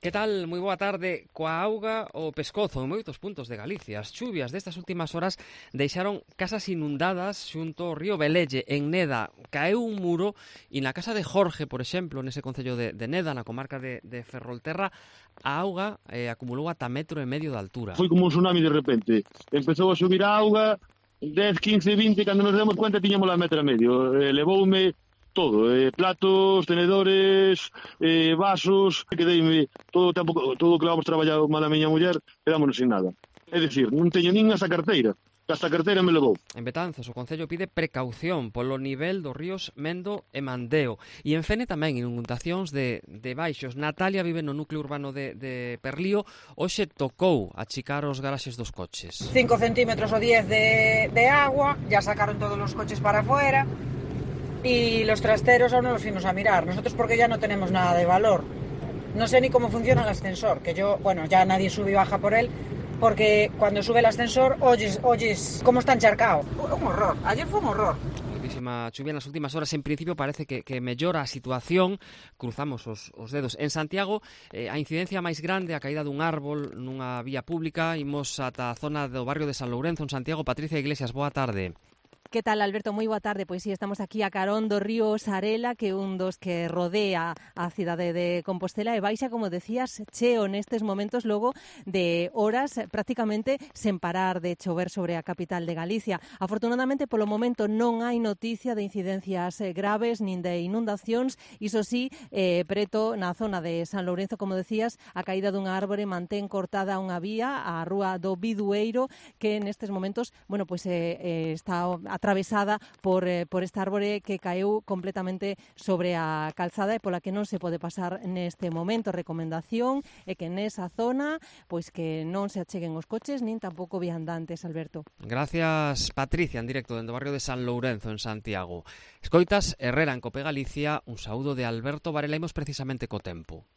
Que tal? Moi boa tarde. Coa auga o pescozo en moitos puntos de Galicia. As chuvias destas últimas horas deixaron casas inundadas xunto ao río Velelle, en Neda. Caeu un muro e na casa de Jorge, por exemplo, nese concello de Neda, na comarca de Ferrolterra, a auga acumulou ata 1,5 metros de altura. Foi como un tsunami de repente. Empezou a subir a auga, 10, 15, 20, cando nos demos cuenta tiñamos a 1,5 metros. Levoume todo, platos, tenedores, vasos, quedeime todo o tempo, todo o que vamos traballado mal a miña muller, quedámonos sin nada. É dicir, non teño nin asa carteira, que hasta a carteira me levou. En Betanzos, o Concello pide precaución polo nivel dos ríos Mendo e Mandeo. E en Fene tamén inundacións de baixos. Natalia vive no núcleo urbano de Perlío. Hoxe tocou achicar os garaxes dos coches. 5 centímetros o 10 de agua, ya sacaron todos los coches para afuera. Y los trasteros aún no los fuimos a mirar. Nosotros porque ya no tenemos nada de valor. No sé ni cómo funciona el ascensor, que yo, bueno, ya nadie sube y baja por él, porque cuando sube el ascensor oyes cómo está encharcado. Un horror, ayer fue un horror. Muchísima chuvia nas últimas horas. En principio parece que mellora a situación. Cruzamos os dedos. En Santiago, a incidencia máis grande, a caída dun árbol nunha vía pública. Imos ata a zona do barrio de San Lourenzo, en Santiago. Patricia Iglesias, boa tarde. Que tal, Alberto? Moi boa tarde. Pois sí, estamos aquí a carón do río Sarela, que é un dos que rodea a cidade de Compostela e baixa, como decías, cheo nestes momentos logo de horas prácticamente sen parar de chover sobre a capital de Galicia. Afortunadamente, polo momento non hai noticia de incidencias graves nin de inundacións. Iso sí, preto na zona de San Lourenzo, como decías, a caída dunha árbore mantén cortada unha vía, a rúa do Bidueiro, que nestes momentos, bueno, pois está atravesada por esta árbore que caeu completamente sobre a calzada e pola que non se pode pasar neste momento. Recomendación é que nesa zona pois que non se acheguen os coches nin tampouco viandantes, Alberto. Gracias, Patricia, en directo dentro do barrio de San Lourenzo, en Santiago. Escoitas Herrera en Cope Galicia, un saúdo de Alberto Varela. Imos precisamente co tempo.